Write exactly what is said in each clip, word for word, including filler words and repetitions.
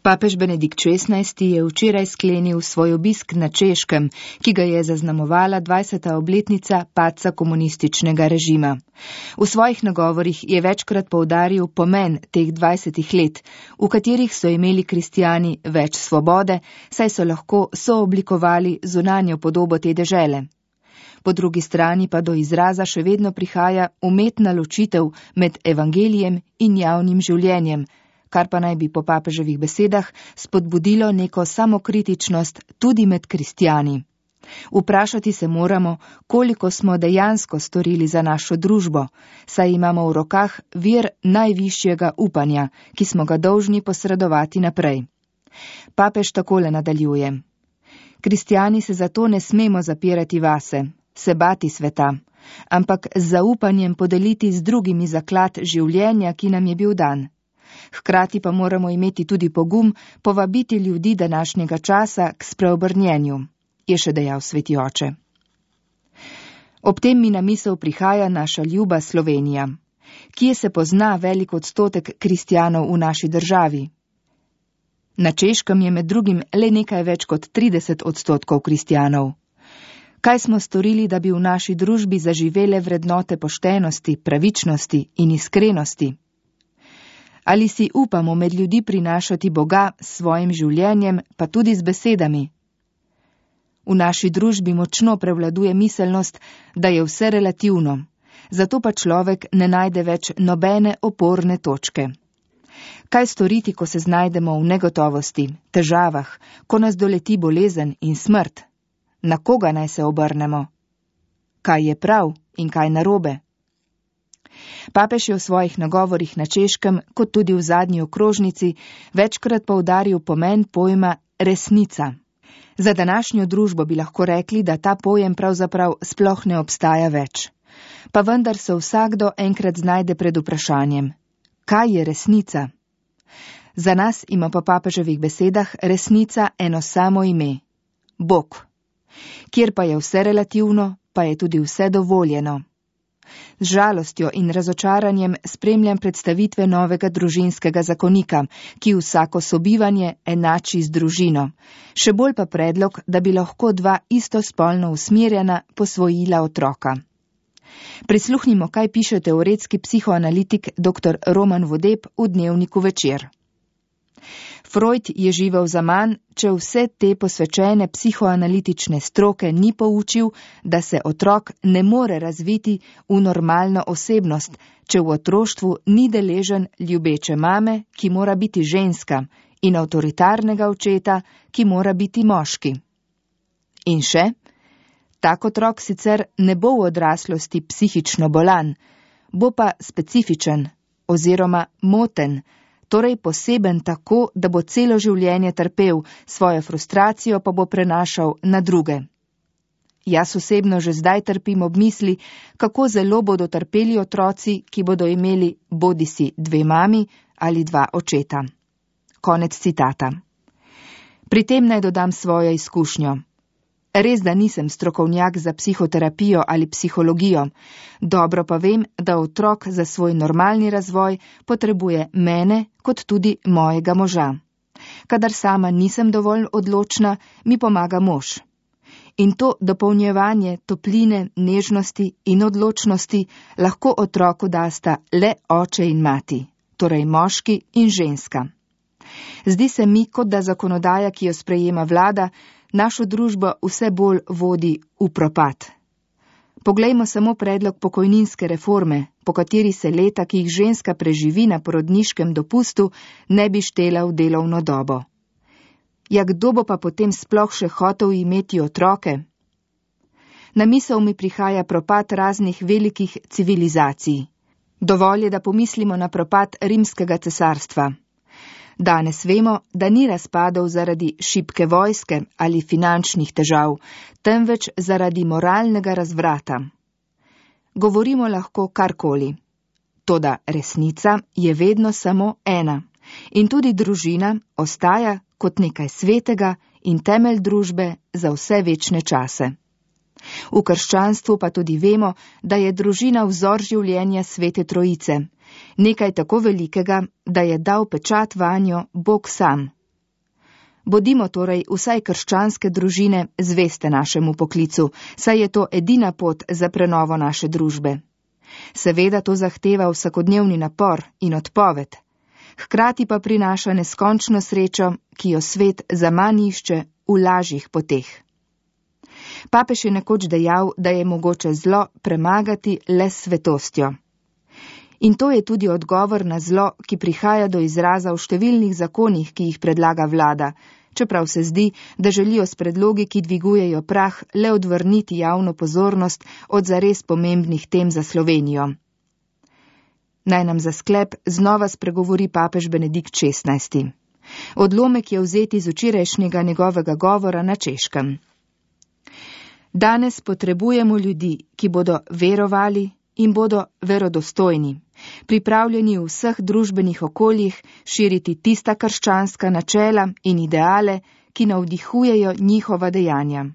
Papež Benedikt šestnajsti je včeraj sklenil svoj obisk na Češkem, ki ga je zaznamovala dvajseta obletnica padca komunističnega režima. V svojih nagovorih je večkrat poudaril pomen teh dvajsetih let, v katerih so imeli kristjani več svobode, saj so lahko sooblikovali zunanjo podobo te dežele. Po drugi strani pa do izraza še vedno prihaja umetna ločitev med evangelijem in javnim življenjem, kar pa naj bi po papeževih besedah spodbudilo neko samokritičnost tudi med kristjani. Vprašati se moramo, koliko smo dejansko storili za našo družbo, saj imamo v rokah vir najvišjega upanja, ki smo ga dolžni posredovati naprej. Papež takole nadaljuje. Kristjani se zato ne smemo zapirati vase, se bati sveta, ampak z zaupanjem podeliti z drugimi zaklad življenja, ki nam je bil dan. Hkrati pa moramo imeti tudi pogum povabiti ljudi današnjega časa k spreobrnjenju, je še dejal sveti oče. Ob tem mi na misel prihaja naša ljuba Slovenija, kje se pozna velik odstotek kristjanov v naši državi. Na Češkem je med drugim le nekaj več kot trideset odstotkov kristjanov. Kaj smo storili, da bi v naši družbi zaživele vrednote poštenosti, pravičnosti in iskrenosti? Ali si upamo med ljudi prinašati Boga s svojim življenjem, pa tudi z besedami? V naši družbi močno prevladuje miselnost, da je vse relativno, zato pa človek ne najde več nobene oporne točke. Kaj storiti, ko se znajdemo v negotovosti, težavah, ko nas doleti bolezen in smrt? Na koga naj se obrnemo? Kaj je prav in kaj narobe? Papež je v svojih nagovorih na Češkem, kot tudi v zadnji okrožnici, večkrat poudaril pomen pojma resnica. Za današnjo družbo bi lahko rekli, da ta pojem pravzaprav sploh ne obstaja več. Pa vendar se vsakdo enkrat znajde pred vprašanjem. Kaj je resnica? Za nas ima po papeževih besedah resnica eno samo ime. Bog. Kjer pa je vse relativno, pa je tudi vse dovoljeno. Z žalostjo in razočaranjem spremljam predstavitve novega družinskega zakonika, ki vsako sobivanje enači z družino. Še bolj pa predlog, da bi lahko dva istospolno usmerjena posvojila otroka. Prisluhnimo, kaj piše teoretski psihoanalitik dr. Roman Vodeb v dnevniku Večer. Freud je živel zaman, če vse te posvečene psihoanalitične stroke ni poučil, da se otrok ne more razviti v normalno osebnost, če v otroštvu ni deležen ljubeče mame, ki mora biti ženska, in avtoritarnega očeta, ki mora biti moški. In še, tak otrok sicer ne bo v odraslosti psihično bolan, bo pa specifičen oziroma moten, torej poseben tako, da bo celo življenje trpel, svojo frustracijo pa bo prenašal na druge. Jaz osebno že zdaj trpim ob misli, kako zelo bodo trpeli otroci, ki bodo imeli bodisi dve mami ali dva očeta. Konec citata. Pri tem naj dodam svojo izkušnjo. Res, da nisem strokovnjak za psihoterapijo ali psihologijo, dobro pa vem, da otrok za svoj normalni razvoj potrebuje mene kot tudi mojega moža. Kadar sama nisem dovolj odločna, mi pomaga mož. In to dopolnjevanje topline, nežnosti in odločnosti lahko otroku dasta le oče in mati, torej moški in ženska. Zdi se mi, kot da zakonodaja, ki jo sprejema vlada, našo družbo vse bolj vodi v propad. Poglejmo samo predlog pokojninske reforme, po kateri se leta, ki jih ženska preživi na porodniškem dopustu, ne bi štela v delovno dobo. Ja, kdo bo pa potem sploh še hotel imeti otroke? Na misel mi prihaja propad raznih velikih civilizacij. Dovolj je, da pomislimo na propad rimskega cesarstva. Danes vemo, da ni razpadel zaradi šibke vojske ali finančnih težav, temveč zaradi moralnega razvrata. Govorimo lahko karkoli. Toda resnica je vedno samo ena in tudi družina ostaja kot nekaj svetega in temelj družbe za vse večne čase. V krščanstvu pa tudi vemo, da je družina vzor življenja Svete Trojice, nekaj tako velikega, da je dal pečat vanjo Bog sam, Bodimo torej vsaj krščanske družine zveste našemu poklicu, saj je to edina pot za prenovo naše družbe. Seveda to zahteva vsakodnevni napor in odpoved, hkrati pa prinaša neskončno srečo, ki jo svet zaman išče v lažjih poteh. Papež je nekoč dejal, da je mogoče zlo premagati le s svetostjo. In to je tudi odgovor na zlo, ki prihaja do izraza v številnih zakonih, ki jih predlaga vlada, čeprav se zdi, da želijo s predlogi, ki dvigujejo prah, le odvrniti javno pozornost od zares pomembnih tem za Slovenijo. Naj nam za sklep znova spregovori papež Benedikt šestnajsti. Odlomek je vzet iz včerajšnjega njegovega govora na Češkem. Danes potrebujemo ljudi, ki bodo verovali in bodo verodostojni, pripravljeni v vseh družbenih okoljih širiti tista krščanska načela in ideale, ki navdihujejo njihova dejanja.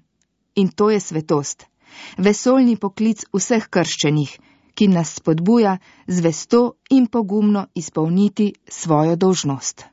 In to je svetost, vesoljni poklic vseh krščenih, ki nas spodbuja zvesto in pogumno izpolniti svojo dolžnost.